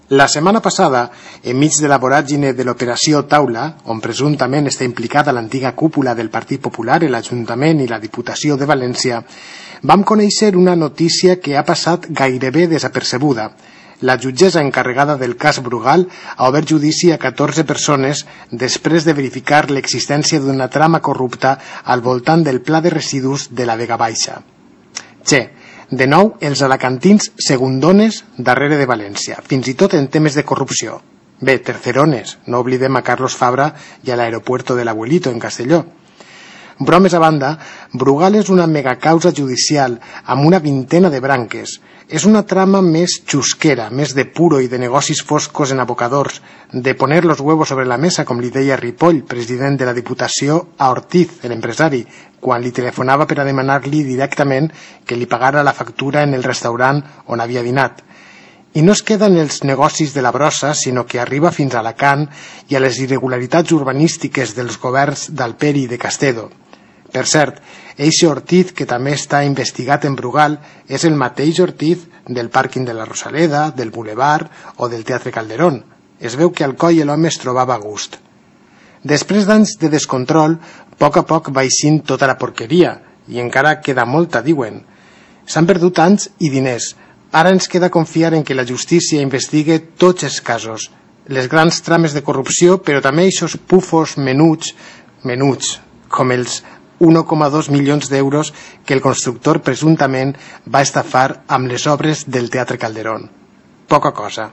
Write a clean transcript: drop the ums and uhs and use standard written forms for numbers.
La setmana passada, enmig de la voràgine de l'operació Taula, on presumptament està implicada l'antiga cúpula del Partit Popular, l'Ajuntament i la Diputació de València, vam conèixer una notícia que ha passat gairebé desapercebuda. La jutgessa encarregada del cas Brugal ha obert judici a 14 persones després de verificar l'existència d'una trama corrupta al voltant del pla de residus de la Vega Baixa. De nou, els alacantins segundones darrere de València, fins i tot en temes de corrupció. Bé, tercerones, no oblidem a Carlos Fabra i a l'aeropuerto de l'Abuelito en Castelló. Bromes a banda, Brugal és una megacausa judicial amb una vintena de branques. És una trama més xusquera, més de puro i de negocis foscos en abocadors, de poner los huevos sobre la mesa, com li deia Ripoll, president de la Diputació, a Ortiz, l'empresari, quan li telefonava per a demanar-li directament que li pagara la factura en el restaurant on havia dinat. I no es queda en els negocis de la brossa, sinó que arriba fins a Alacant i a les irregularitats urbanístiques dels governs d'Alperi i de Castedo. Per cert, eixe Ortiz, que també està investigat en Brugal, és el mateix Ortiz del pàrquing de la Rosaleda, del Boulevard o del Teatre Calderón. Es veu que Alcoi l'home es trobava a gust. Després d'anys de descontrol, a poc va eixint tota la porqueria, i encara queda molta, diuen. S'han perdut anys i diners. Ara ens queda confiar en que la justícia investigue tots els casos, les grans trames de corrupció, però també eixos pufos menuts, com els 1,2 milions d'euros que el constructor presumptament va estafar amb les obres del Teatre Calderón. Poca cosa.